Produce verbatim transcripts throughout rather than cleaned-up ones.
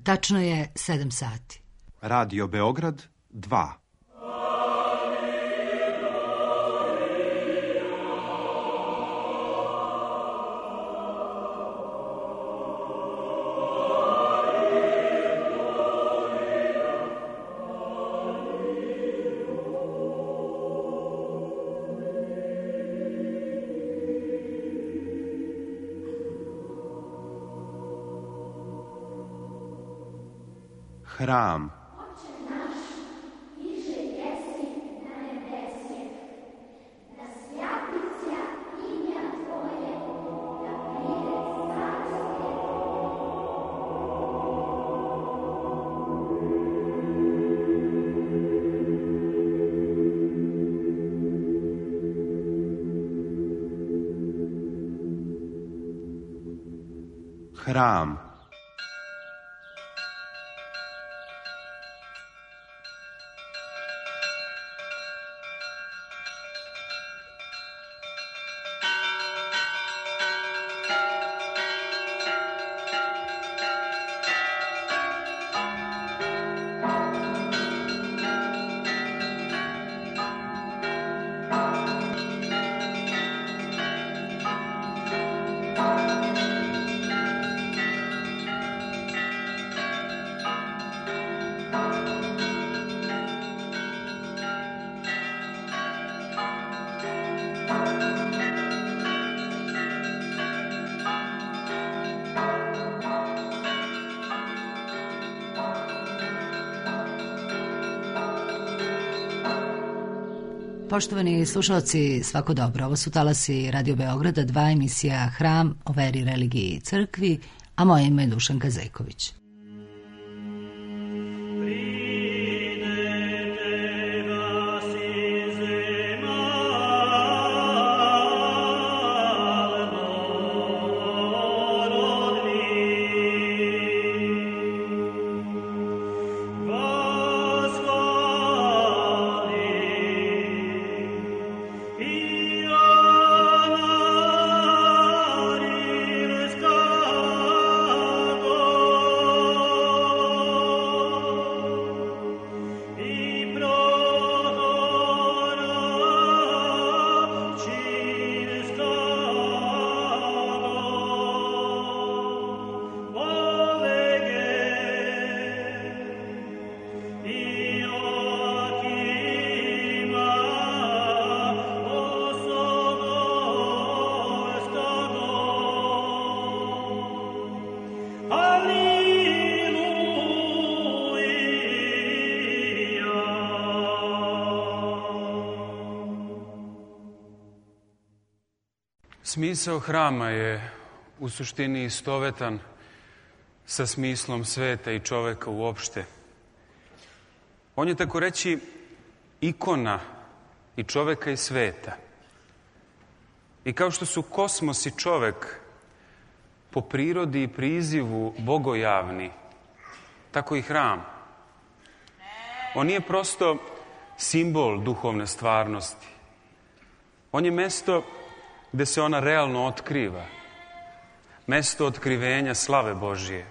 Tačno je sedam sati. Radio Beograd dva. Hram. Hram. Poštovani slušalci, svako dobro. Ovo su talasi Radio Beograda, dva, emisija Hram o veri, religiji i crkvi, a moje ime je Dušanka Zejković. Smisao hrama je u suštini istovetan sa smislom sveta i čoveka uopšte. On je, tako reći, ikona i čoveka i sveta. I kao što su kosmos i čovek po prirodi i prizivu bogojavni, tako i hram. On nije prosto simbol duhovne stvarnosti. On je mesto gde se ona realno otkriva. Mesto otkrivenja slave Božije.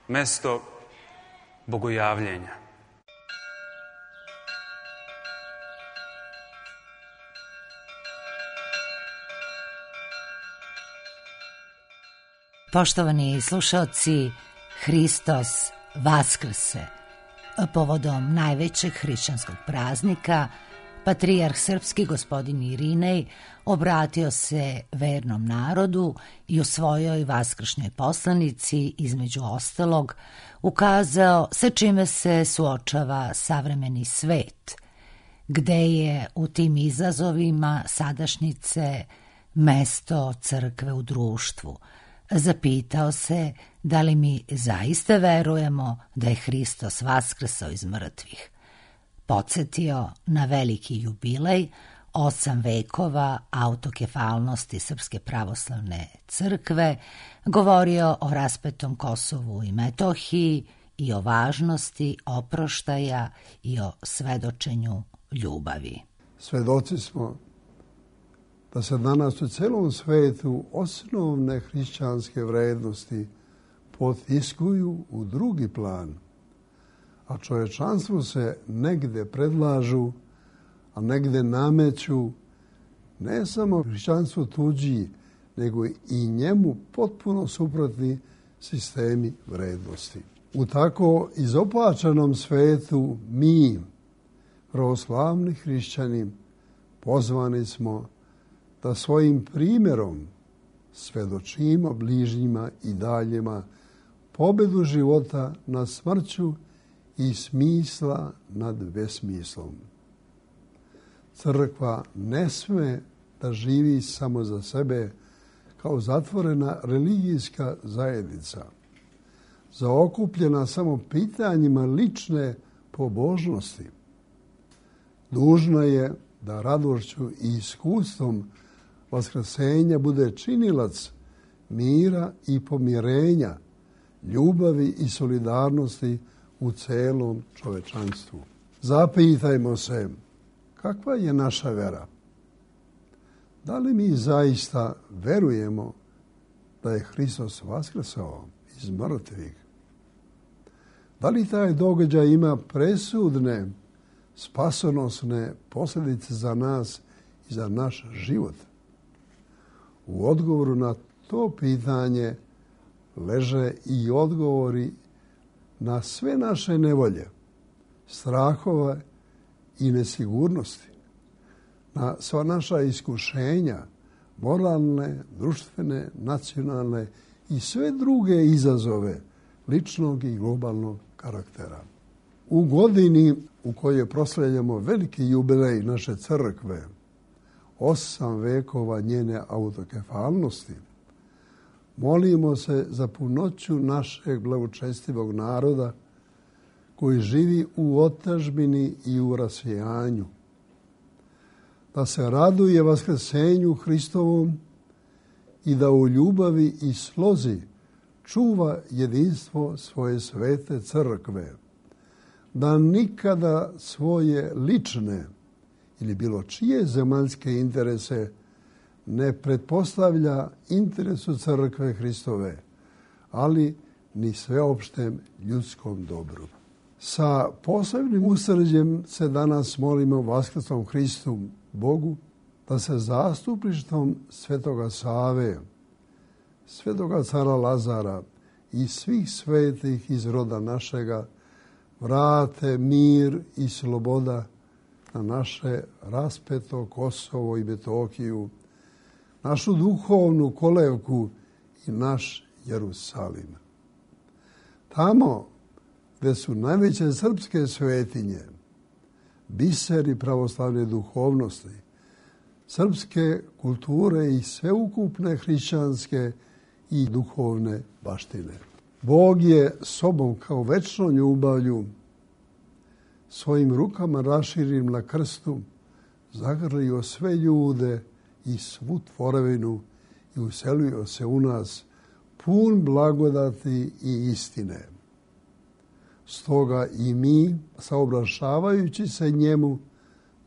Mesto bogojavljenja. Poštovani slušaoci, Hristos vaskrse. Povodom najvećeg hrišćanskog praznika, patrijarh srpski gospodin Irinej obratio se vernom narodu i u svojoj vaskršnjoj poslanici, između ostalog, ukazao sa čime se suočava savremeni svet, gde je u tim izazovima sadašnjice mesto crkve u društvu. Zapitao se da li mi zaista verujemo da je Hristos vaskrsao iz mrtvih. Podsjetio na veliki jubilej, osam vekova autokefalnosti Srpske pravoslavne crkve, govorio o raspetom Kosovu i Metohiji i o važnosti oproštaja i o svedočenju ljubavi. Svedoci smo da se danas u celom svetu osnovne hrišćanske vrednosti potiskuju u drugi plan, a čovječanstvu se negde predlažu, a negde nameću ne samo hrišćanstvu tuđi, nego i njemu potpuno suprotni sistemi vrednosti. U tako izopačenom svetu mi, pravoslavni hrišćani, pozvani smo da svojim primjerom svedočimo bližnjima i daljima pobedu života nad smrću i smisla nad besmislom. Crkva ne sme da živi samo za sebe kao zatvorena religijska zajednica, zaokupljena samo pitanjima lične pobožnosti. Dužna je da radošću i iskustvom vaskrsenja bude činilac mira i pomirenja, ljubavi i solidarnosti u celom čovečanstvu. Zapitajmo se, kakva je naša vera? Da li mi zaista verujemo da je Hristos vaskrsao iz mrtvih? Da li taj događaj ima presudne, spasonosne posljedice za nas i za naš život? U odgovoru na to pitanje leže i odgovori na sve naše nevolje, strahove i nesigurnosti, na sva naša iskušenja, moralne, društvene, nacionalne i sve druge izazove ličnog i globalnog karaktera. U godini u kojoj proslavljamo veliki jubilej naše crkve, osam vekova njene autokefalnosti, molimo se za punoću našeg blagočestivog naroda koji živi u otadžbini i u rasvijanju, da se raduje vaskrsenju Hristovom i da u ljubavi i slozi čuva jedinstvo svoje svete crkve, da nikada svoje lične ili bilo čije zemaljske interese ne pretpostavlja interesu crkve Hristove, ali ni sveopštem ljudskom dobru. Sa posebnim usrđem se danas molimo vaskrsnom Hristu, Bogu, da se zastupništvom svetoga Save, svetoga cara Lazara i svih svetih iz roda našega vrate mir i sloboda na naše raspeto Kosovo i Metohiju, našu duhovnu kolevku i naš Jerusalim. Tamo gde su najveće srpske svetinje, biseri pravoslavne duhovnosti, srpske kulture i sveukupne hrišćanske i duhovne baštine. Bog je sobom kao večnom ljubavlju svojim rukama raširim na krstu zagrlio sve ljude i svu tvorevinu i uselio se u nas pun blagodati i istine. Stoga i mi, saobraćavajući se njemu,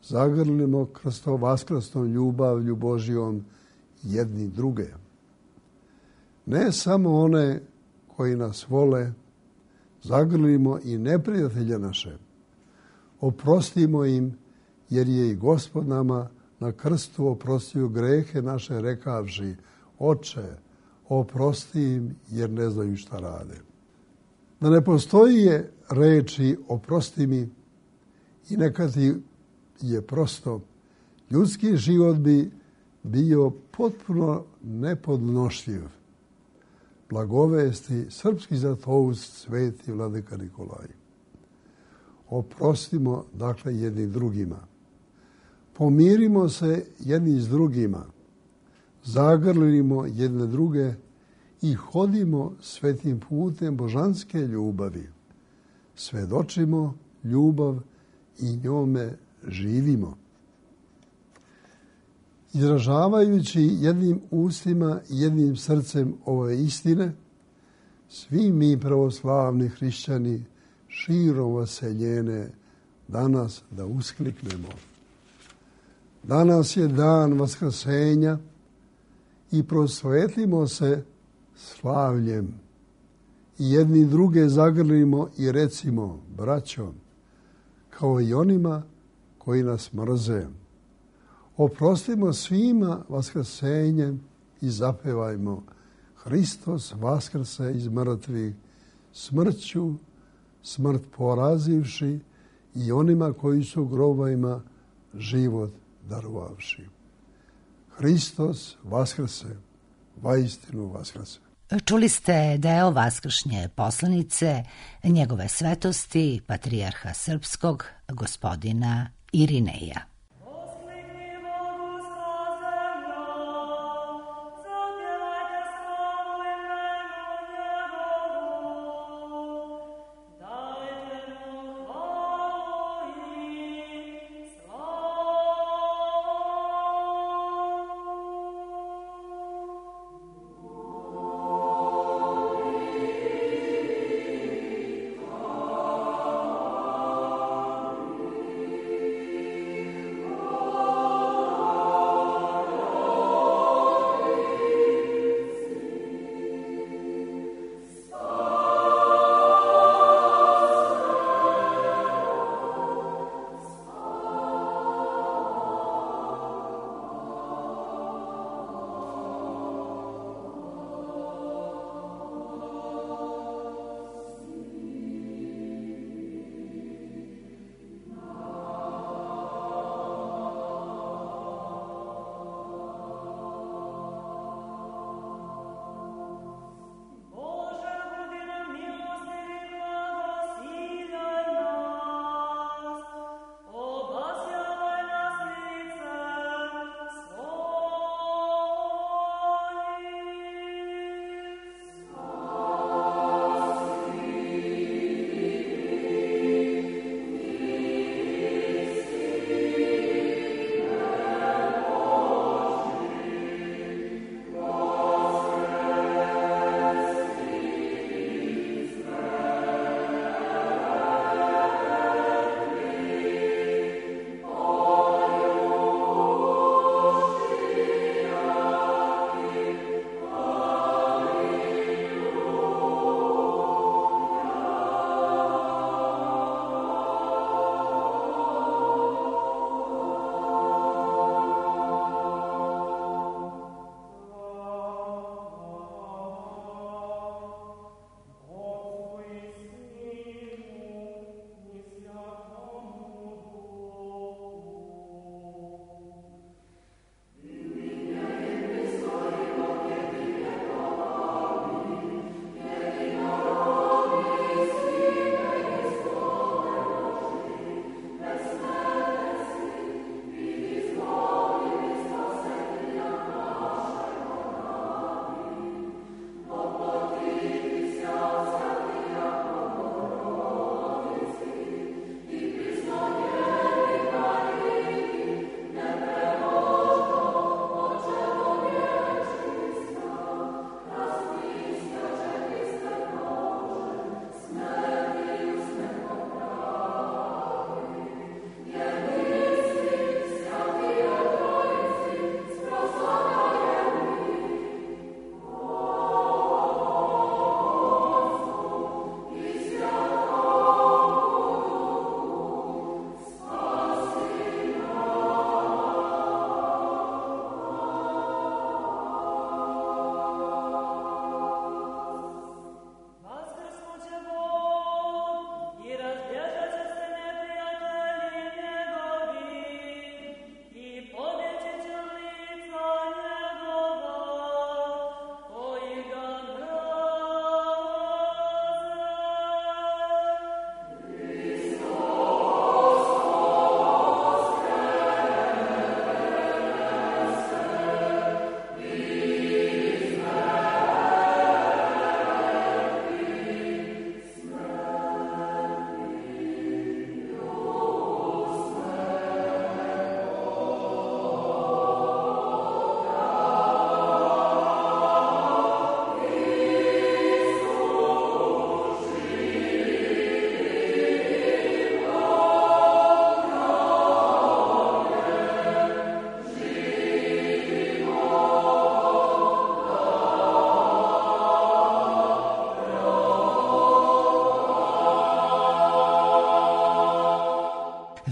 zagrlimo krsto-vaskrstnom ljubavlju Božjom jedni druge. Ne samo one koji nas vole, zagrlimo i neprijatelje naše. Oprostimo im, jer je i Gospod nama na krstu oprostio grehe naše rekavši: Oče, oprosti im, jer ne znaju šta rade. Da ne postoji je reči oprosti mi i neka ti je prosto, ljudski život bi bio potpuno nepodnošljiv. Blagovesti srpski zlatoust sveti vladika Nikolaj. Oprostimo dakle jedni drugima. Pomirimo se jedni s drugima. Zagrlimo jedne druge i hodimo svetim putem božanske ljubavi. Svedočimo ljubav i njome živimo. Izražavajući jednim ustima i jednim srcem ove istine, svi mi pravoslavni hrišćani širom vaseljene danas da uskliknemo. Danas je dan vaskrsenja i prosvetlimo se slavljem i jedni druge zagrlimo i recimo, braćo, kao i onima koji nas mrze. Oprostimo svima vaskrsenjem i zapevajmo Hristos vaskrse iz mrtvih, smrću smrt porazivši i onima koji su u grobovima život darovavši. Hristos vaskrse, vaistinu vaskrse. Čuli ste deo vaskršnje poslanice njegove svetosti, patrijarha srpskog, gospodina Irineja.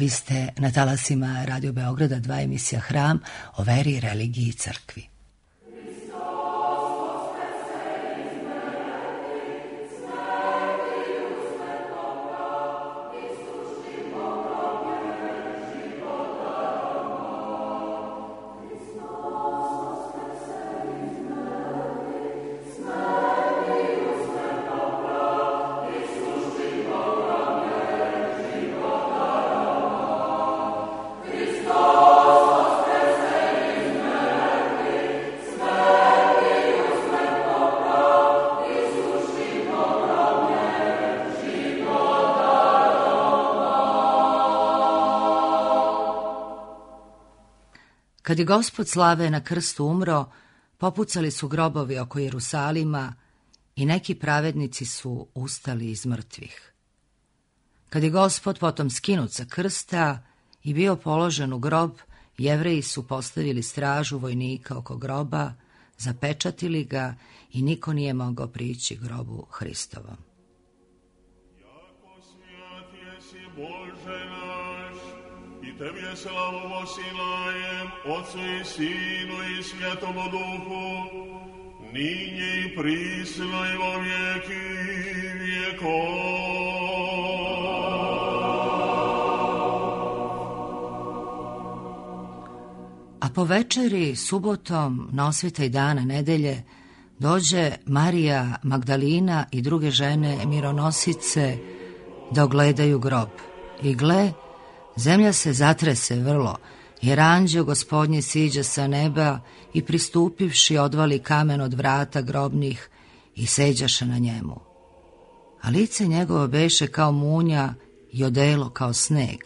Vi ste na talasima Radio Beograda dva, emisija Hram o veri, religiji i crkvi. Kad je Gospod slave na krstu umro, popucali su grobovi oko Jerusalima i neki pravednici su ustali iz mrtvih. Kad je Gospod potom skinut sa krsta i bio položen u grob, Jevreji su postavili stražu vojnika oko groba, zapečatili ga i niko nije mogao prići grobu Hristovom. Jako svijat jesi Bože naš, i Tebi slavu posilajem, Otcu i Sinu i Svjetomu Duhu, ninje i prisno i vo vijeki vijekov. A po večeri, subotom, na osvitaj dana nedelje, dođe Marija Magdalina i druge žene mironosice da ogledaju grob. I gle, zemlja se zatrese vrlo, jer anđeo Gospodnji siđe sa neba i pristupivši odvali kamen od vrata grobnih i seđaše na njemu. A lice njegovo beše kao munja i odelo kao sneg,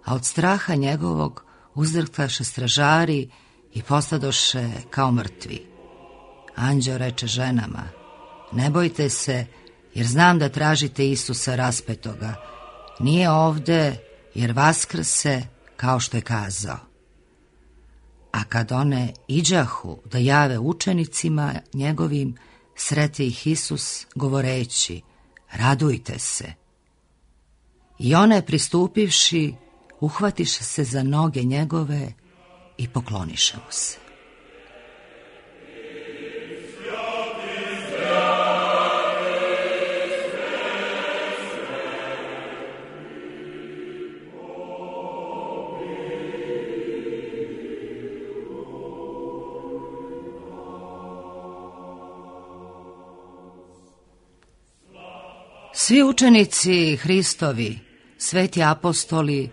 a od straha njegovog uzdrhtaše stražari i postadoše kao mrtvi. Anđeo reče ženama: ne bojte se, jer znam da tražite Isusa raspetoga. Nije ovde, jer vaskrse, kao što je kazao. A kad one iđahu da jave učenicima njegovim, sreti ih Isus govoreći: radujte se. I one pristupivši, uhvatiše se za noge njegove i pokloniše mu se. Svi učenici Hristovi, sveti apostoli,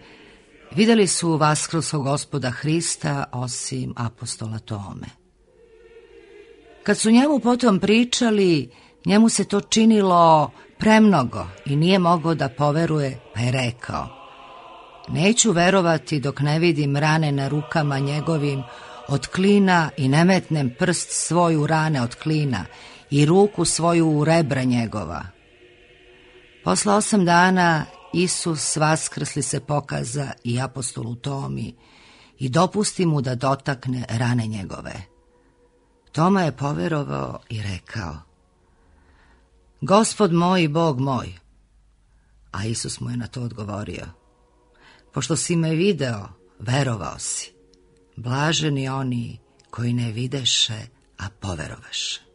vidjeli su vaskrslog Gospoda Hrista osim apostola Tome. Kad su njemu potom pričali, njemu se to činilo premnogo i nije mogao da poveruje, pa je rekao: neću verovati dok ne vidim rane na rukama njegovim od klina i ne metnem prst svoj u rane od klina i ruku svoju u rebra njegova. Posle osam dana Isus vaskrsli se pokaza i apostolu Tomi i dopusti mu da dotakne rane njegove. Toma je poverovao i rekao: Gospod moj i Bog moj. A Isus mu je na to odgovorio: pošto si me video, verovao si. Blaženi oni koji ne videše, a poverovaše.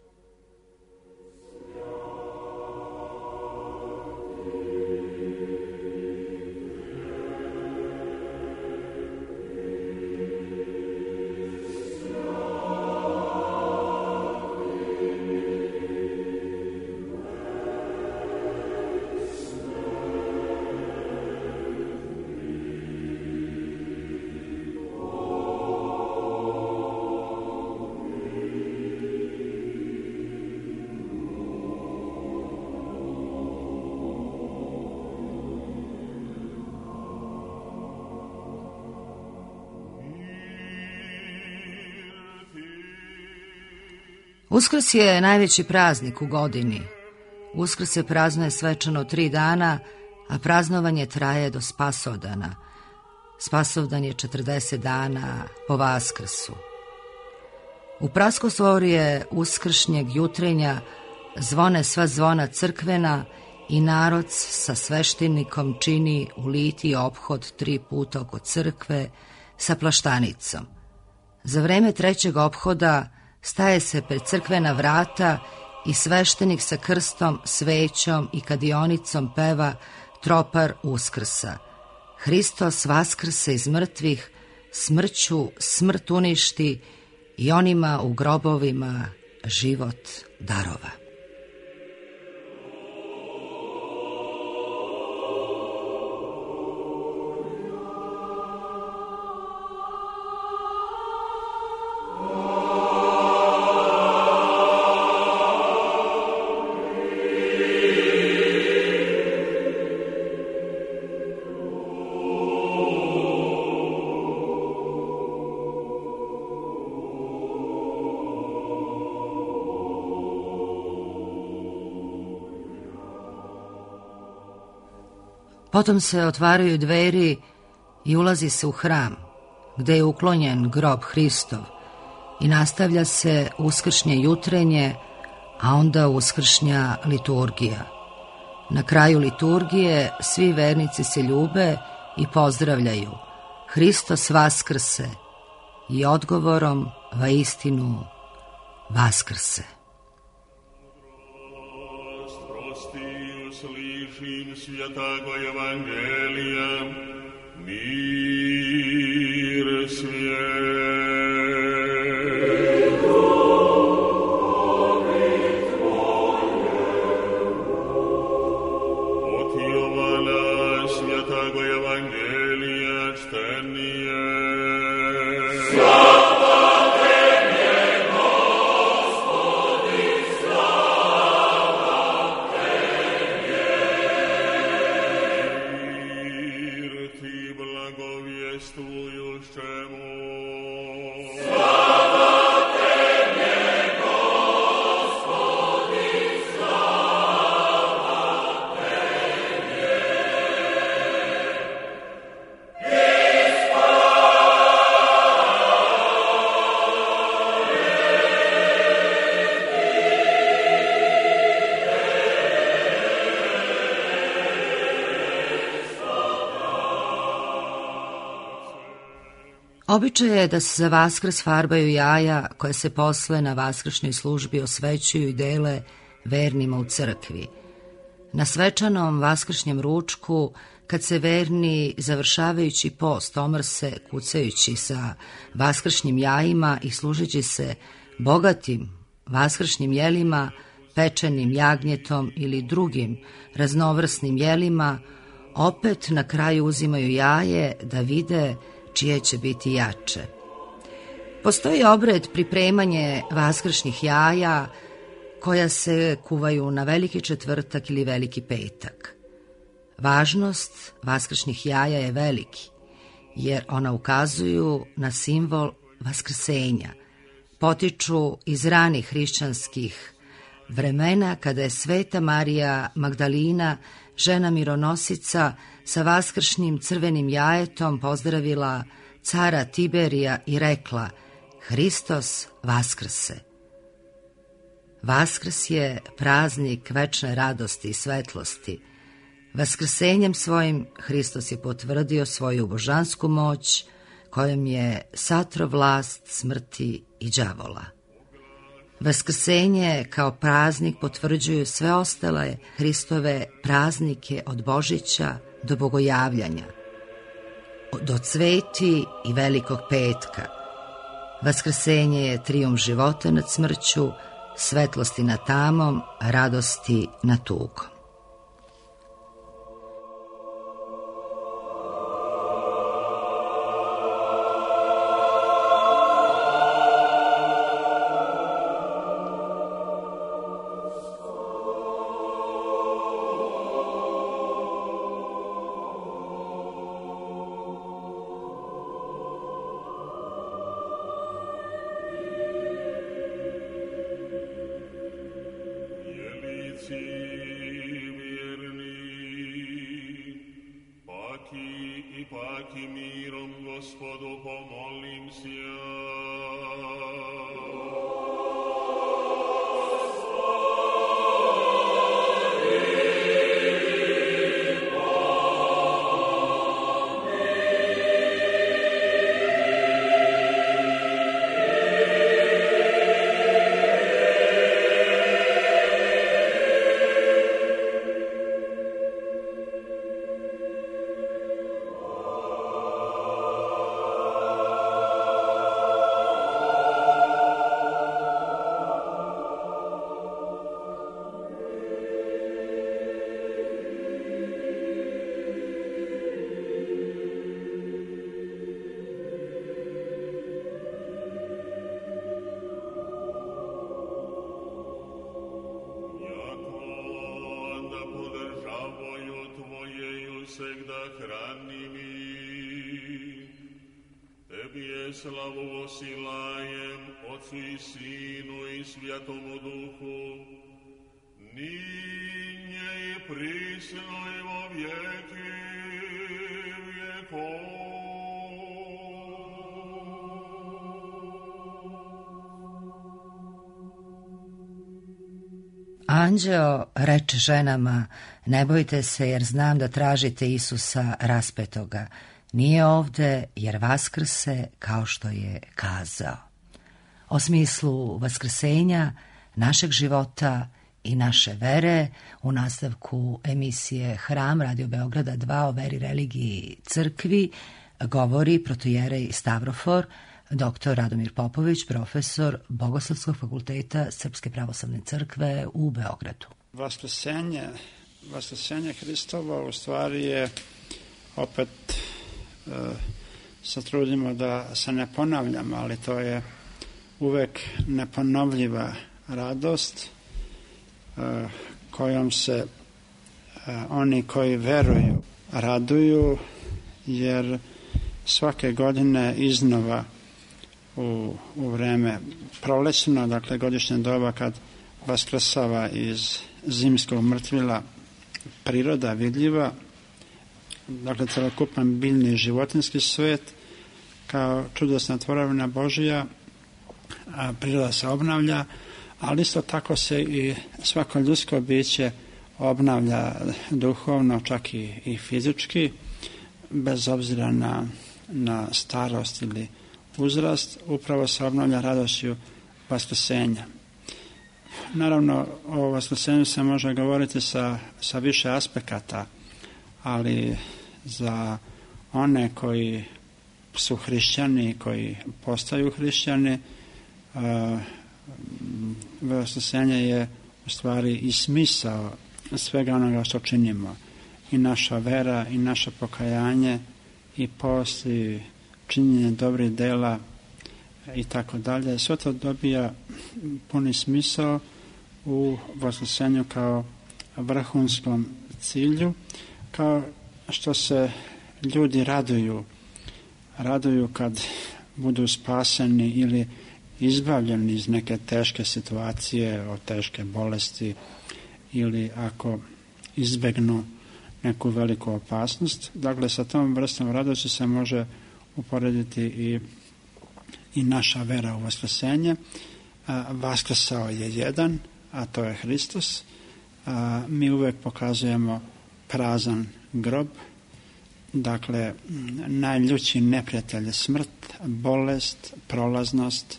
Uskrs je najveći praznik u godini. Uskrs se praznuje svečano tri dana, a praznovanje traje do Spasovdana. Spasovdan je četrdeset dana po Vaskrsu. U praskosvorje uskršnjeg jutrenja zvone sva zvona crkvena i narod sa sveštenikom čini u litiji ophod tri puta oko crkve sa plaštanicom. Za vreme trećeg ophoda staje se pred crkvena vrata i sveštenik sa krstom, svećom i kadionicom peva tropar Uskrsa. Hristos vaskrse iz mrtvih, smrću smrt uništi i onima u grobovima život darova. Potom se otvaraju dveri i ulazi se u hram, gde je uklonjen grob Hristov i nastavlja se uskršnje jutrenje, a onda uskršnja liturgija. Na kraju liturgije svi vernici se ljube i pozdravljaju Hristos vaskrse i odgovorom vaistinu vaskrse. Slišim svjetago Evangelija, mir svijetu. Od Jovana svjetago Evangelija čtenije. Običaj je da se za Vaskrs farbaju jaja koje se posle na vaskršnjoj službi osvećuju i dele vernima u crkvi. Na svečanom vaskršnjem ručku, kad se verni završavajući post omrse kucajući sa vaskršnjim jajima i služeći se bogatim vaskršnjim jelima, pečenim jagnjetom ili drugim raznovrsnim jelima, opet na kraju uzimaju jaje da vide čije će biti jače. Postoji obred pripremanje vaskršnjih jaja koja se kuvaju na veliki četvrtak ili veliki petak. Važnost vaskršnjih jaja je veliki, jer ona ukazuju na simbol vaskrsenja. Potiču iz ranih hrišćanskih vremena kada je Sveta Marija Magdalina, žena mironosica, sa vaskršnjim crvenim jajetom pozdravila cara Tiberija i rekla: Hristos vaskrse. Vaskrs je praznik večne radosti i svetlosti. Vaskrsenjem svojim Hristos je potvrdio svoju božansku moć kojom je satro vlast smrti i đavola. Vaskrsenje kao praznik potvrđuju sve ostale Hristove praznike od Božića do Bogojavljanja, do Cveti i Velikog petka. Vaskrsenje je trijumf života nad smrću, svetlosti nad tamom, radosti nad tugom. Amen. всегда храними. Тебе славу восилаем, Отцу и Сыну и Святому Духу, ныне и присно и во веки веков. Anđeo reče ženama, ne bojte se jer znam da tražite Isusa raspetoga. Nije ovde jer vaskrse kao što je kazao. O smislu vaskrsenja, našeg života i naše vere u nastavku emisije Hram Radio Beograda dva o veri, religiji, crkvi govori protojerej Stavrofor, doktor Radomir Popović, profesor Bogoslovskog fakulteta Srpske pravoslavne crkve u Beogradu. Vaskrsenje, vaskrsenje Hristovo u stvari je, opet e, se trudimo da se ne ponavljamo, ali to je uvek neponovljiva radost e, kojom se e, oni koji veruju raduju, jer svake godine iznova u, u vreme prolećno, dakle godišnje doba kad vaskrsava iz zimskog mrtvila priroda vidljiva, dakle celokupan biljni i životinski svet kao čudesna tvorevina Božija, a priroda se obnavlja, ali isto tako se i svako ljudsko biće obnavlja duhovno, čak i, i fizički, bez obzira na, na starost ili uzrast, upravo se obnavlja radošću vaskrsenja. Naravno, o vaskrsenju se može govoriti sa, sa više aspekata, ali za one koji su hrišćani, koji postaju hrišćani, vaskrsenje je u stvari i smisao svega onoga što činimo. I naša vera, i naše pokajanje, i post, i činjenje dobrih dela, i tako dalje. Sve to dobija puni smisao u vaskrsenju kao vrhunskom cilju, kao što se ljudi raduju, raduju kad budu spaseni ili izbavljeni iz neke teške situacije, od teške bolesti, ili ako izbegnu neku veliku opasnost. Dakle, sa tom vrstom radosti se može uporediti i, i naša vera u vaskrsenje. Vaskrsao je jedan, a to je Hristos. A, mi uvek pokazujemo prazan grob. Dakle, najljući neprijatelj je smrt, bolest, prolaznost,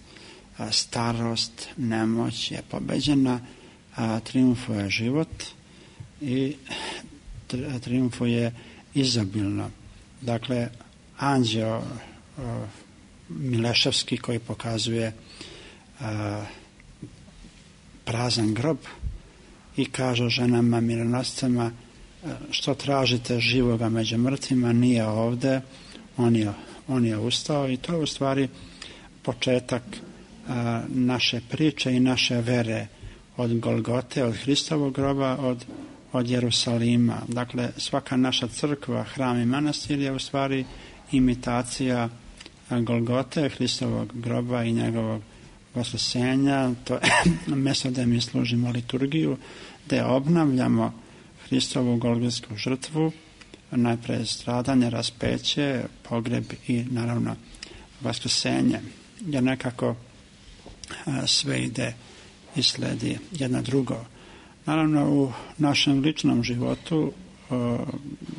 a, starost, nemoć je pobeđena, a triumfuje život i triumfuje izobilno. Dakle, anđeo a, Mileševski koji pokazuje a, prazan grob i kaže ženama mironosicama, što tražite živoga među mrtvima, nije ovde, on je, on je ustao, i to je u stvari početak a, naše priče i naše vere od Golgote, od Hristovog groba, od, od Jerusalima. Dakle, svaka naša crkva, hram i manastir je u stvari imitacija Golgote, Hristovog groba i njegovog vaskrsenja. To je mjesto gde mi služimo liturgiju, gde obnavljamo Hristovu golgotsku žrtvu, najpre stradanje, raspeće, pogreb i naravno vaskrsenje, jer nekako a, sve ide i sledi jedno drugo. Naravno, u našem ličnom životu a,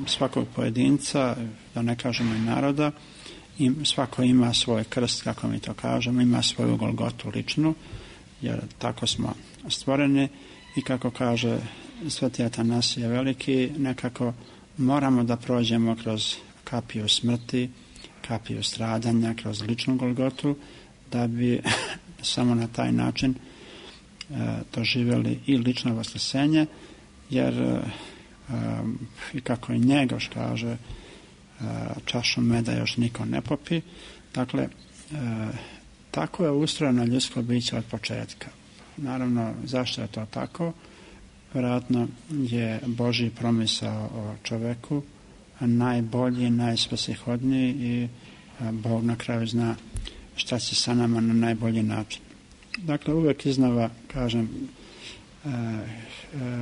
svakog pojedinca, da ne kažemo i naroda, i svako ima svoj krst, kako mi to kažemo, ima svoju Golgotu ličnu, jer tako smo stvoreni, i kako kaže Sveti Atanasije Veliki, nekako moramo da prođemo kroz kapiju smrti, kapiju stradanja, kroz ličnu Golgotu, da bi samo na taj način e, doživjeli i lično vaskrsenje, jer e, i kako i Njegoš kaže, e, čašu meda još niko ne popi. Dakle, e, tako je ustrojeno ljudsko biće od početka. Naravno, zašto je to tako? Vjerojatno je Božji promisao o čoveku najbolji, najsvrsishodniji i Bog na kraju zna šta će sa nama na najbolji način. Dakle, uvek iznova kažem,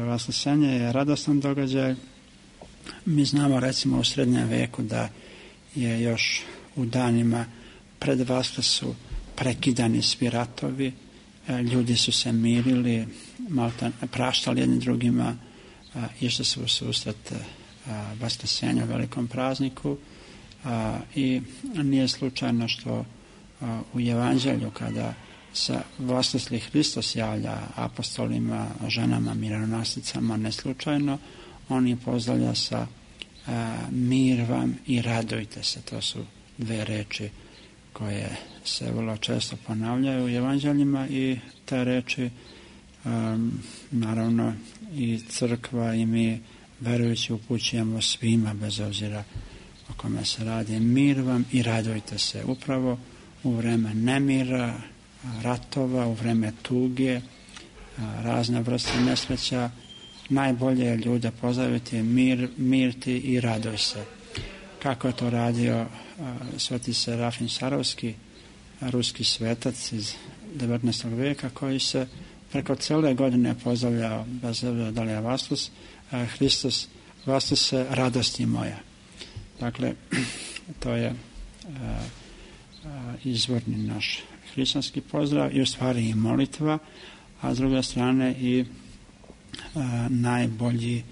vaskrsenje je radostan događaj. Mi znamo recimo u srednjem veku da je još u danima pred Vaskrsu prekidani svi ratovi, ljudi su se mirili, malta, praštali jednim drugima, išli su u susret Vaskrsenju, velikom prazniku, i nije slučajno što u Evanđelju kada se Vaskrsli Hristos javlja apostolima, ženama, mironosicama, neslučajno, on je pozdravlja sa mir vam i radujte se. To su dve reči koje se vrlo često ponavljaju u evanđeljima i te reči um, naravno i crkva i mi verujući upućujemo svima bez obzira o kome se radi. Mir vam i radujte se. Upravo u vreme nemira, ratova, u vreme tuge, razne vrste nesreća, najbolje je ljude pozdraviti mir, mir ti i raduj se. Kako je to radio sveti Serafim Sarovski, ruski svetac iz devetnaestog veka, koji se preko cele godine pozdravljao, bez obzira da li je Vaskrs, Hristos, Vaskrs se, radosti moja. Dakle, to je izvorni naš hrišćanski pozdrav i u stvari i molitva, a s druge strane i a, najbolji,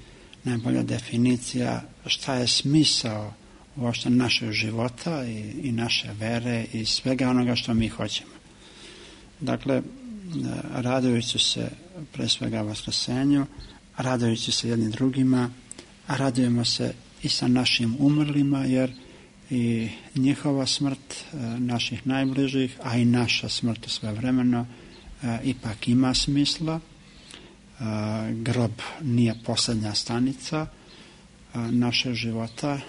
najbolja definicija šta je smisao uopšte našeg života i, i naše vere i svega onoga što mi hoćemo. Dakle, radujući se pre svega Vaskrsenju, radujući se jednim drugima, a radujemo se i sa našim umrlima, jer i njihova smrt naših najbližih, a i naša smrt svevremeno ipak ima smisla. Grob nije poslednja stanica našeg života,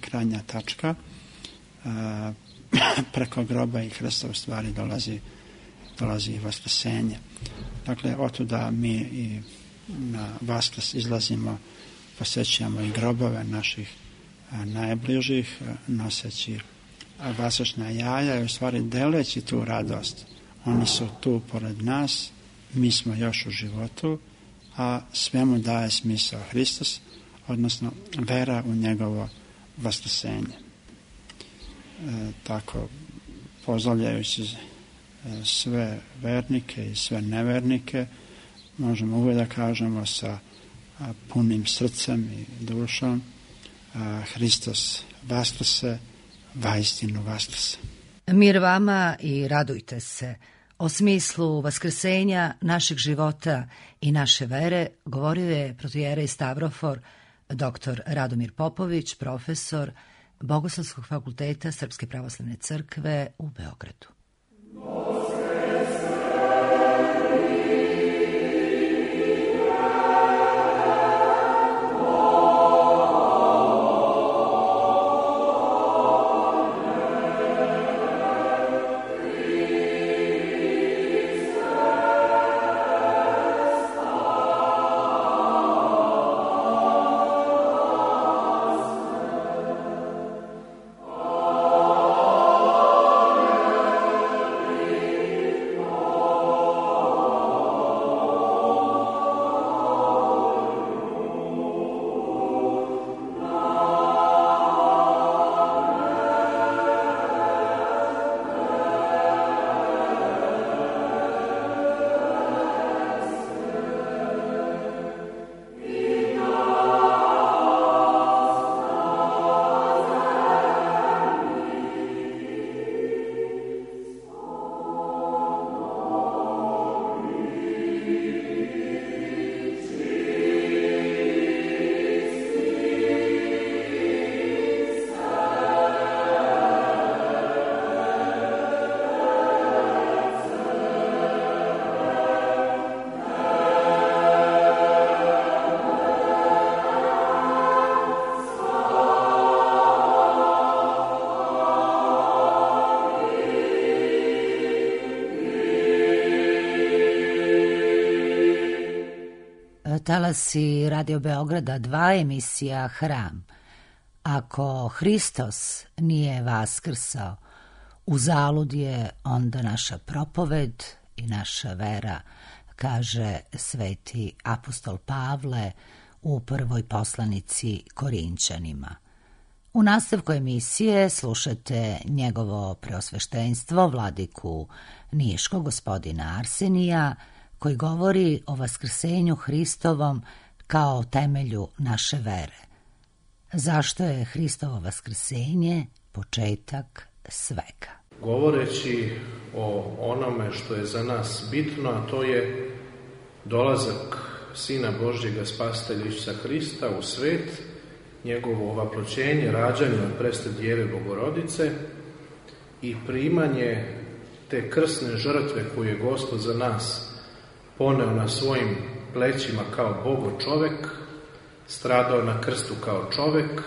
krajnja tačka. Preko groba i Hrista u stvari dolazi, dolazi i Vaskrsenje. Dakle, otuda mi i na Vaskrs izlazimo, posećujemo i grobove naših najbližih, noseći vaskršnja jaja i u stvari deleći tu radost. Oni su tu pored nas, mi smo još u životu, a svemu daje smisao Hristos, odnosno vera u njegovo vaskrsenje. E, tako, pozdravljajući sve vernike i sve nevernike, možemo uvijek da kažemo sa punim srcem i dušom: Hristos vaskrse, vaistinu vaskrse. Mir vama i radujte se. O smislu vaskrsenja našeg života i naše vere govorio je protoijerej Stavrofor doktor Radomir Popović, profesor Bogoslovskog fakulteta Srpske pravoslavne crkve u Beogradu. Talasi Radio Beograda dva, emisija Hram. Ako Hristos nije vaskrsao, uzalud je onda naša propoved i naša vera, kaže sveti apostol Pavle u prvoj poslanici Korinćanima. U nastavku emisije slušate njegovo preosveštenstvo, vladiku Niškog, gospodina Arsenija, koji govori o vaskrsenju Hristovom kao temelju naše vere. Zašto je Hristovo vaskrsenje početak svega? Govoreći o onome što je za nas bitno, a to je dolazak Sina Božjega Spasitelja Isusa Hrista u svet, njegovo ovaploćenje, rađanje od presne Djeve Bogorodice i primanje te krsne žrtve koju je Gospod za nas poneo na svojim plećima kao Bogo čovek, stradao na krstu kao čovek,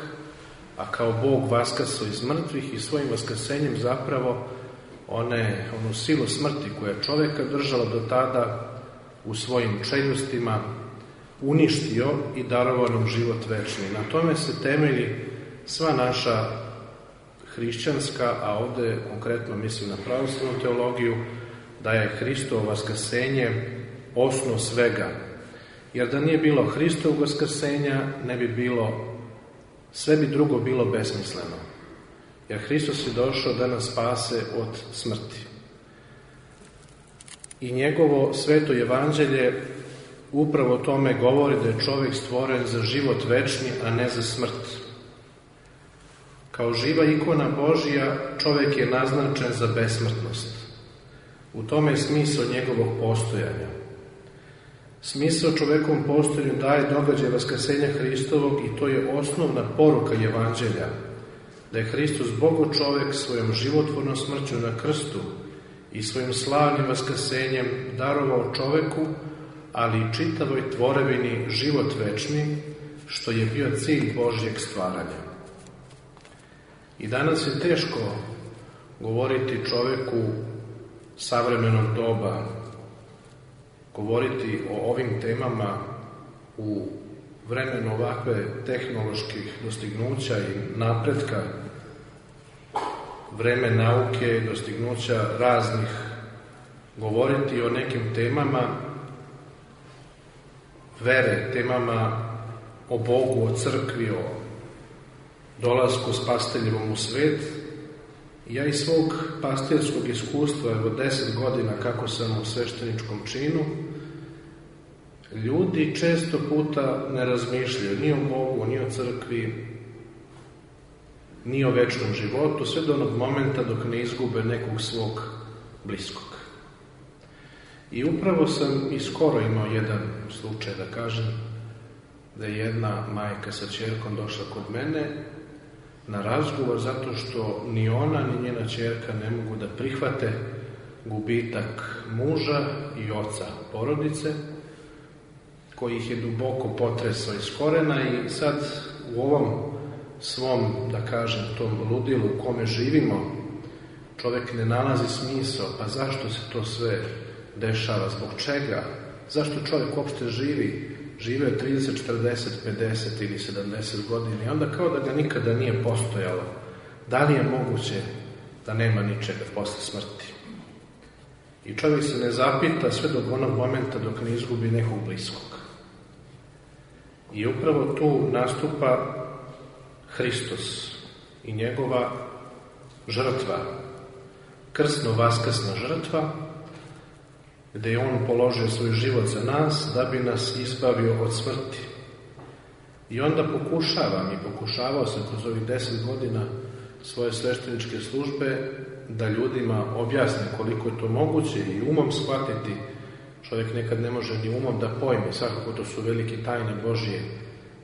a kao Bog vaskrsao iz mrtvih i svojim vaskrsenjem zapravo one, onu silu smrti koja je čoveka držala do tada u svojim čeljustima uništio i darovao nam život večni. Na tome se temelji sva naša hrišćanska, a ovde konkretno mislim na pravoslavnu teologiju, da je Hristovo vaskrsenje osnov svega. Jer da nije bilo Hristovog vaskrsenja, ne bi bilo, sve bi drugo bilo besmisleno. Jer Hristos je došao da nas spase od smrti. I njegovo sveto evanđelje upravo o tome govori da je čovjek stvoren za život večni, a ne za smrt. Kao živa ikona Božja, čovjek je naznačen za besmrtnost. U tome je smisao njegovog postojanja. Smisao čovekovom postojanju daje događaj vaskrsenja Hristovog i to je osnovna poruka evanđelja, da je Hristos Bogo čovek svojom životvornom smrću na krstu i svojim slavnim vaskrsenjem darovao čoveku, ali i čitavoj tvorevini život večni, što je bio cilj Božjeg stvaranja. I danas je teško govoriti čoveku savremenog doba, govoriti o ovim temama u vremenu ovakve tehnoloških dostignuća i napretka, vreme nauke, dostignuća raznih, govoriti o nekim temama vere, temama o Bogu, o crkvi, o dolasku Spasiteljevom u svet. Ja iz svog pastirskog iskustva, evo deset godina kako sam u svešteničkom činu, ljudi često puta ne razmišljaju ni o Bogu, ni o crkvi, ni o večnom životu, sve do onog momenta dok ne izgube nekog svog bliskog. I upravo sam i skoro imao jedan slučaj, da kažem, da je jedna majka sa ćerkom došla kod mene na razgovor zato što ni ona ni njena ćerka ne mogu da prihvate gubitak muža i oca porodice, koji ih je duboko potresao iz korena i sad u ovom svom, da kažem, tom ludilu u kome živimo, čovjek ne nalazi smisao, pa zašto se to sve dešava, zbog čega, zašto čovjek uopšte živi, žive od trideset, četrdeset, pedeset ili sedamdeset godina i onda kao da ga nikada nije postojalo. Da li je moguće da nema ničega posle smrti? I čovjek se ne zapita sve do onog momenta dok ne izgubi nekog bliskog. I upravo tu nastupa Hristos i njegova žrtva, krsno-vaskrsna žrtva, gde je on položio svoj život za nas da bi nas izbavio od smrti. I onda pokušavam i pokušavao sam kroz ovih deset godina svoje svešteničke službe da ljudima objasne koliko je to moguće i umom shvatiti. Čovjek nekad ne može ni umom da pojme, svakako to su velike tajne Božje,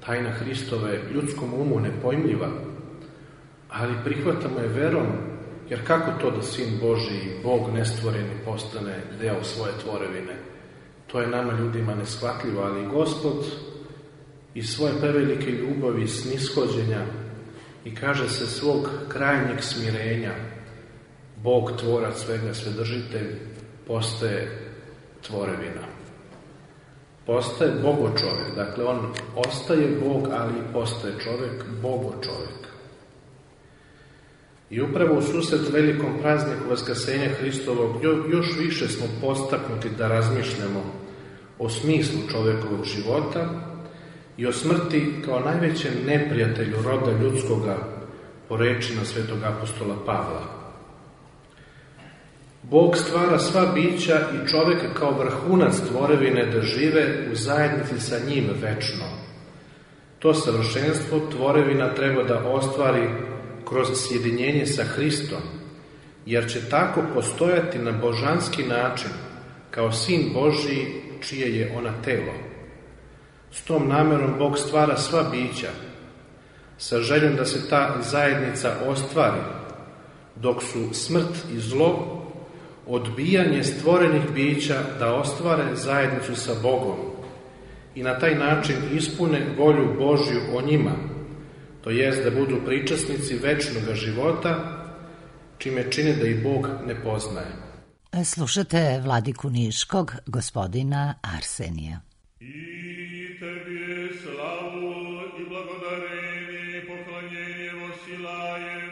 tajna Hristova je ljudskom umu nepojmljiva, ali prihvatamo je verom, jer kako to da Sin Božji, Bog nestvoreni, postane deo svoje tvorevine? To je nama ljudima neshvatljivo, ali Gospod iz svoje prevelike ljubavi i snishođenja i kaže se svog krajnjeg smirenja, Bog tvorac svega, svedržitelj, postaje tvorevina. postaje Bogo čovjek. Dakle, on ostaje Bog, ali i postaje čovjek, Bogo čovjek. I upravo u susret velikom prazniku Vaskrsenja Hristovog još više smo postaknuti da razmišljamo o smislu čovjekovog života i o smrti kao najvećem neprijatelju roda ljudskoga, po rečima svetog apostola Pavla. Bog stvara sva bića i čovjeka kao vrhunac tvorevine da žive u zajednici sa njim večno. To savršenstvo tvorevina treba da ostvari kroz sjedinjenje sa Hristom, jer će tako postojati na božanski način, kao sin Božji čije je ona telo. S tom namjerom Bog stvara sva bića, sa željom da se ta zajednica ostvari, dok su smrt i zlo odbijanje stvorenih bića da ostvare zajednicu sa Bogom i na taj način ispune volju Božju o njima, to jest da budu pričasnici večnoga života, čime čine da i Bog ne poznaje. Slušate vladiku Niškog, gospodina Arsenija. I tebi slavu i blagodarenje i poklanjenje vosilajem,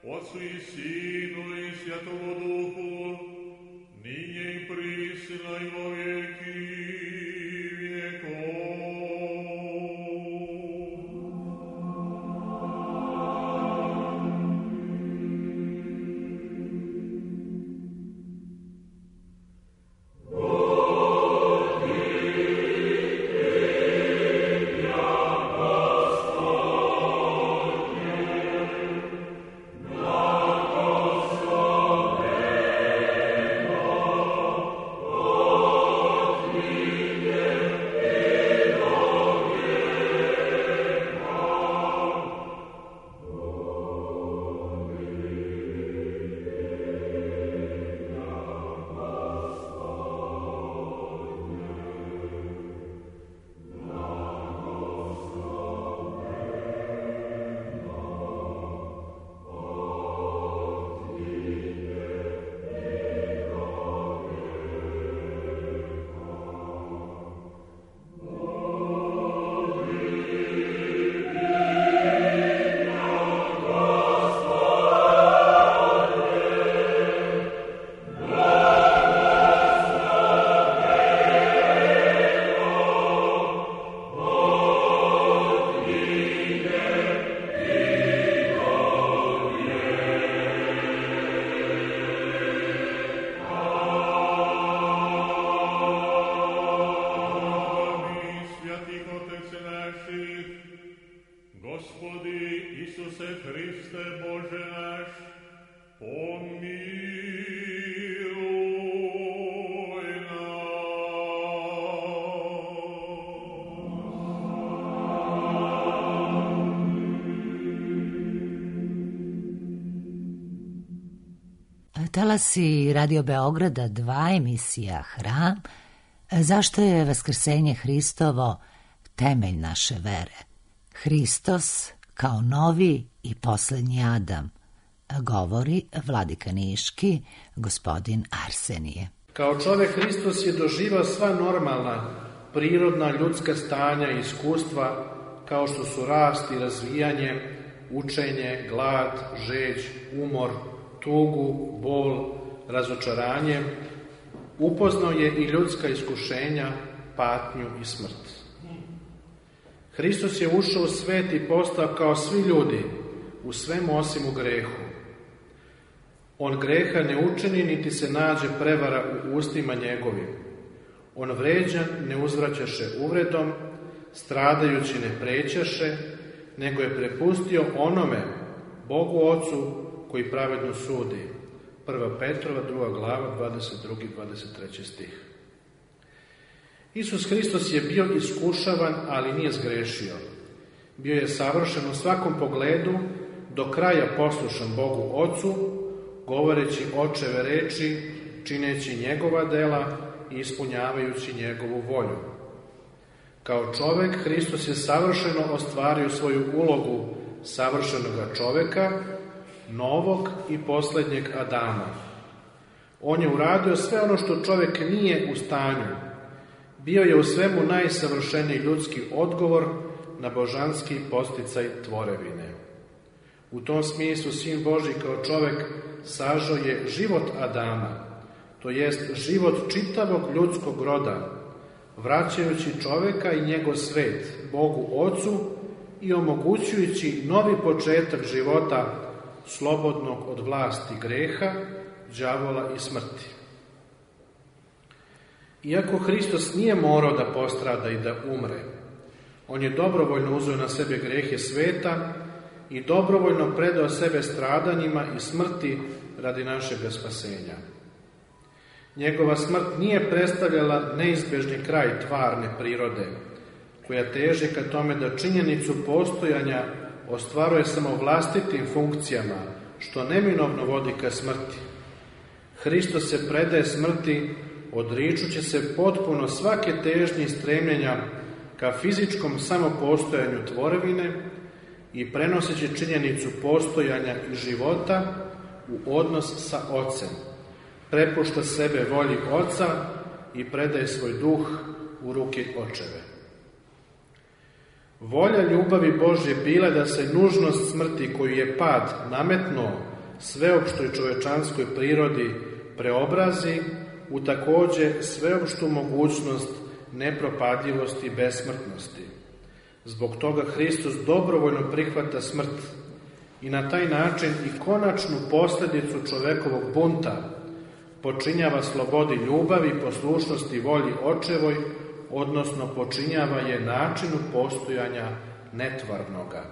Otcu i Sinu i Svjatomu Duhu, ninje i prisila i vo vijeki vijekov. Talasi Radio Beograda dva, emisija Hram. Zašto je Vaskrsenje Hristovo temelj naše vere? Hristos kao novi i posljednji Adam, govori vladika Niški, gospodin Arsenije. Kao čovjek Hristos je doživao sva normalna, prirodna ljudska stanja i iskustva, kao što su rast i razvijanje, učenje, glad, žeđ, umor, tugu, bol, razočaranje. Upoznao je i ljudska iskušenja, patnju i smrt. Hristos je ušao u svet i postao kao svi ljudi, u svemu osim u grehu. On greha ne učini, niti se nađe prevara u ustima njegovim. On vređan ne uzvraćaše uvredom, stradajući ne prećaše, nego je prepustio onome, Bogu Ocu, koji pravedno sudi. Prva Petrova, druga glava, dvadeset drugi i dvadeset treći stih. Isus Hristos je bio iskušavan, ali nije zgrešio. Bio je savršen u svakom pogledu, do kraja poslušan Bogu Ocu, govoreći očeve reči, čineći njegova dela i ispunjavajući njegovu volju. Kao čovek, Hristos je savršeno ostvario svoju ulogu savršenoga čoveka, novog i posljednjeg Adama. On je uradio sve ono što čovjek nije u stanju. bio je u svemu najsavršeniji ljudski odgovor na božanski posticaj tvorevine. U tom smislu Sin Božji kao čovek sažao je život Adama, to jest život čitavog ljudskog roda, vraćajući čoveka i njegov svet Bogu Ocu i omogućujući novi početak života slobodnog od vlasti greha, đavola i smrti. Iako Hristos nije morao da postrada i da umre, on je dobrovoljno uzeo na sebe grehe sveta i dobrovoljno predao sebe stradanjima i smrti radi našega spasenja. Njegova smrt nije predstavljala neizbežni kraj tvarne prirode, koja teži ka tome da činjenicu postojanja ostvaruje samo vlastitim funkcijama, što neminovno vodi ka smrti. Hristos se predaje smrti, odričući se potpuno svake težnje i stremljenja ka fizičkom samopostojanju tvorevine i prenoseći činjenicu postojanja i života u odnos sa Ocem. Prepušta sebe volji Oca i predaje svoj duh u ruke Očeve. Volja ljubavi Božje bila da se nužnost smrti koju je pad nametnuo sveopštoj čovečanskoj prirodi preobrazi u takođe sveopštu mogućnost nepropadljivosti i besmrtnosti. Zbog toga Hristos dobrovoljno prihvata smrt i na taj način i konačnu posljedicu čovekovog bunta počinjava slobodi ljubavi i poslušnosti volji Očevoj, odnosno počinjava je načinu postojanja netvarnoga.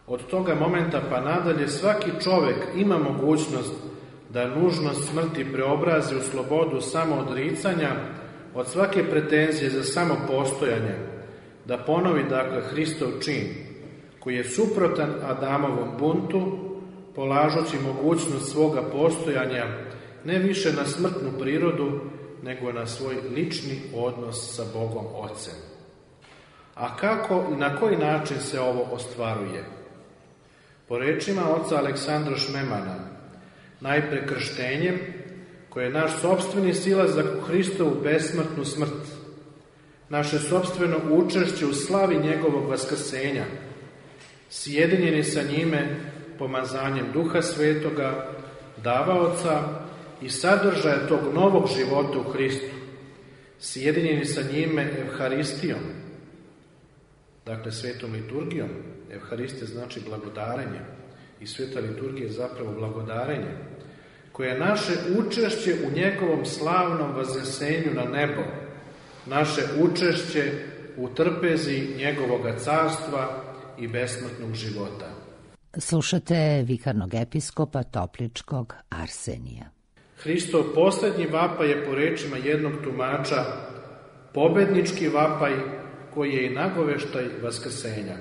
Od toga momenta pa nadalje svaki čovek ima mogućnost da nužnost smrti preobrazi u slobodu samoodricanja od svake pretenzije za samopostojanje, da ponovi dakle Hristov čin, koji je suprotan Adamovom buntu, polažući mogućnost svoga postojanja ne više na smrtnu prirodu, nego na svoj lični odnos sa Bogom Ocem. A kako i na koji način se ovo ostvaruje? Po rečima oca Aleksandra Šmemana, najpre krštenjem, koje je naš sopstveni silazak u Hristovu besmrtnu smrt, naše sopstveno učešće u slavi njegovog vaskrsenja, sjedinjeni sa njime pomazanjem Duha Svetoga, davaoca i sadržaja tog novog života u Hristu, sjedinjeni sa njime Evharistijom, dakle svetom liturgijom. Evharistija znači blagodarenje i sveta liturgija je zapravo blagodarenje, koje je naše učešće u njegovom slavnom vaznesenju na nebo, naše učešće u trpezi njegovoga carstva i besmrtnog života. Slušate vikarnog episkopa Topličkog Arsenija. Hristov posljednji vapaj je po rečima jednog tumača pobednički vapaj koji je i nagoveštaj vaskrsenja.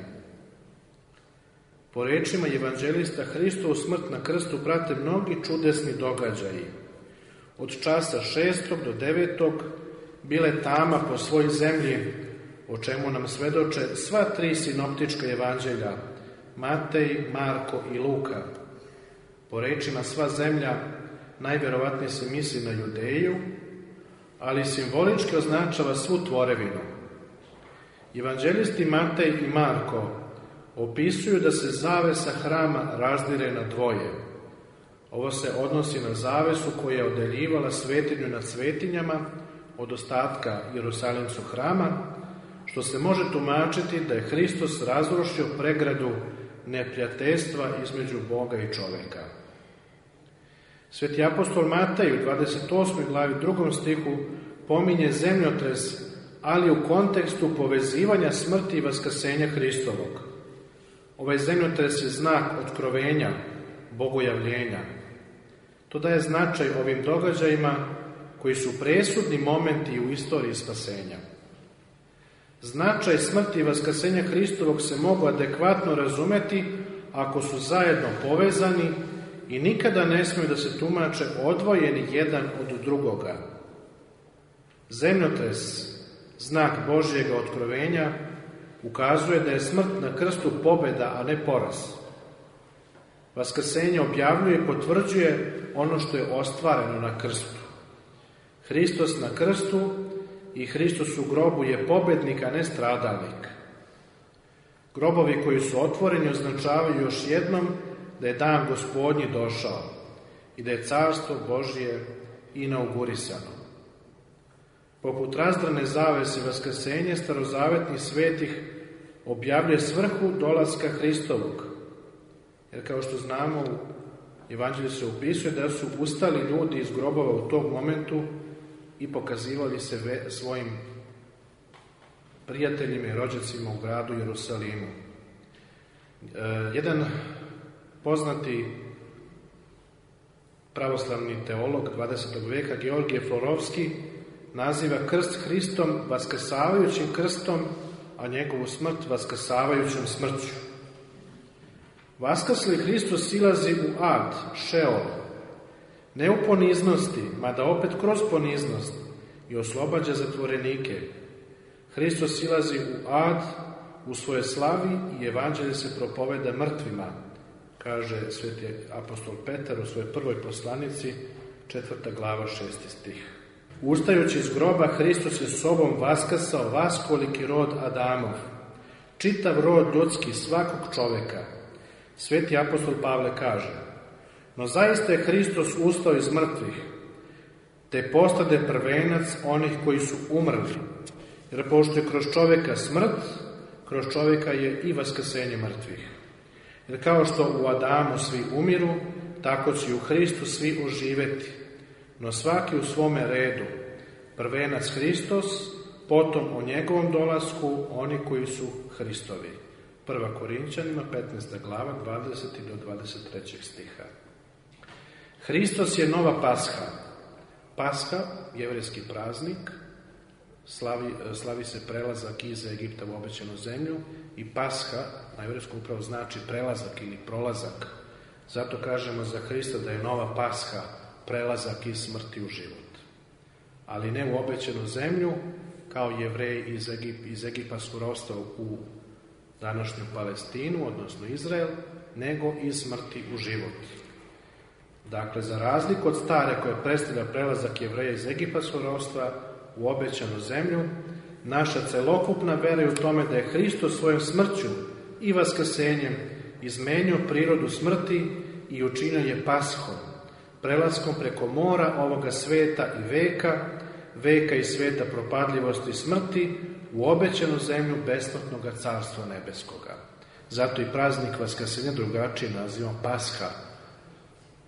Po rečima evanđelista Hristovu smrt na krstu prate mnogi čudesni događaji. Od časa šestog do devetog bile tama po svoj zemlji, o čemu nam svedoče sva tri sinoptička evanđelja, Matej, Marko i Luka. Po rečima sva zemlja najverovatnije se misli na Judeju, ali simbolički označava svu tvorevinu. Evanđelisti Matej i Marko opisuju da se zavesa hrama razdire na dvoje. Ovo se odnosi na zavesu koja je odeljivala svetinju nad svetinjama od ostatka Jerusalimskog hrama, što se može tumačiti da je Hristos razrušio pregradu neprijateljstva između Boga i čoveka. Sveti apostol Matej u dvadeset osmoj glavi drugom stihu pominje zemljotres, ali u kontekstu povezivanja smrti i vaskrsenja Hristovog. Ovaj zemljotres je znak otkrovenja, bogojavljenja. To daje značaj ovim događajima koji su presudni momenti u istoriji spasenja. Značaj smrti i vaskrsenja Hristovog se mogu adekvatno razumeti ako su zajedno povezani i nikada ne smiju da se tumače odvojeni jedan od drugoga. Zemljotres, znak Božjega otkrovenja, ukazuje da je smrt na krstu pobeda, a ne poraz. Vaskrsenje objavljuje i potvrđuje ono što je ostvareno na krstu. Hristos na krstu i Hristos u grobu je pobednik, a ne stradalnik. Grobovi koji su otvoreni označavaju još jednom da je dan Gospodnji došao i da je carstvo Božje inaugurisano. Poput razdrane zavese vaskrsenje starozavetnih svetih objavljuje svrhu dolaska Hristovog. Jer kao što znamo, u Evanđelju se upisuje da su ustali ljudi iz grobova u tom momentu i pokazivali se ve, svojim prijateljima i rođacima u gradu Jerusalimu. E, jedan poznati pravoslavni teolog dvadesetog veka, Georgije Florovski, naziva krst Hristom vaskrsavajućim krstom, a njegovu smrt vaskrsavajućom smrću. Vaskrsli Hristos silazi u ad, šeol, ne u poniznosti, mada opet kroz poniznost, i oslobađa zatvorenike. Hristos silazi u ad, u svoje slavi, i evanđelje se propoveda mrtvima, kaže sveti apostol Petar u svojoj prvoj poslanici, četvrta glava, šesti stih. Ustajući iz groba, Hristos je sobom vaskrsao vaskoliki rod Adamov, čitav rod ljudski, svakog čoveka. Sveti apostol Pavle kaže: no zaista je Hristos ustao iz mrtvih, te postade prvenac onih koji su umrli, jer pošto je kroz čoveka smrt, kroz čoveka je i vaskrsenje mrtvih. Jer kao što u Adamu svi umiru, tako će u Hristu svi oživeti, no svaki u svome redu. Prvenac Hristos, potom o njegovom dolasku oni koji su Hristovi. Prva Korinćanima, petnaesta glava, dvadeseti do dvadeset trećeg stiha. Hristos je nova Pasha. Pasha, jevrejski praznik, slavi, slavi se prelazak iz Egipta u obećanu zemlju, i Pasha na jevrejskom upravo znači prelazak ili prolazak. Zato kažemo za Hrista da je nova Pasha, prelazak iz smrti u život. Ali ne u obećanu zemlju, kao Jevreji iz, Egip, iz Egipatskog ropstva u današnju Palestinu, odnosno Izrael, nego iz smrti u život. Dakle, za razliku od stare koja predstavlja prelazak Jevreja iz Egipatskog ropstva u obećanu zemlju, naša celokupna vera je u tome da je Hristos svojom smrću i vaskrsenjem izmenio prirodu smrti i učinio je Pashom, prelaskom preko mora ovoga sveta i veka, veka i sveta propadljivosti i smrti, u obećanu zemlju besplatnog carstva nebeskoga. Zato i praznik vaskrsenja drugačije nazivam Pasha.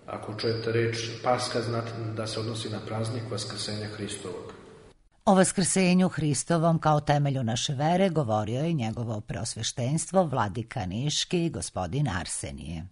Ako čujete reč Pasha, znate da se odnosi na praznik vaskrsenja Hristovog. O vaskrsenju Hristovom kao temelju naše vere govorio je njegovo preosveštenstvo vladika Niški, gospodin Arsenije.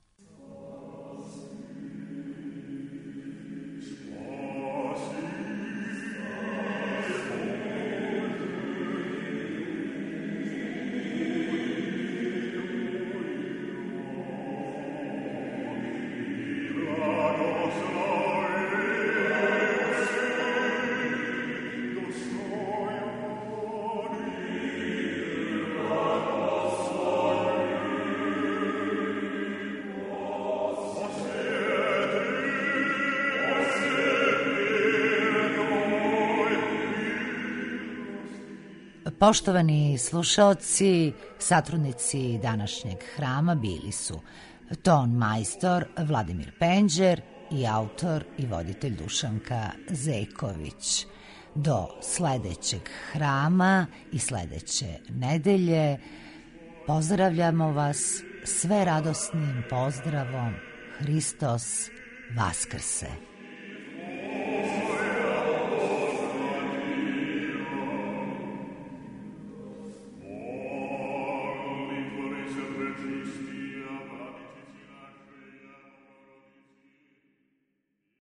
Poštovani slušaoci, satrudnici današnjeg hrama bili su ton majstor Vladimir Penđer i autor i voditelj Dušanka Zeković. Do sledećeg hrama i sledeće nedelje pozdravljamo vas sve radosnim pozdravom Hristos Vaskrse.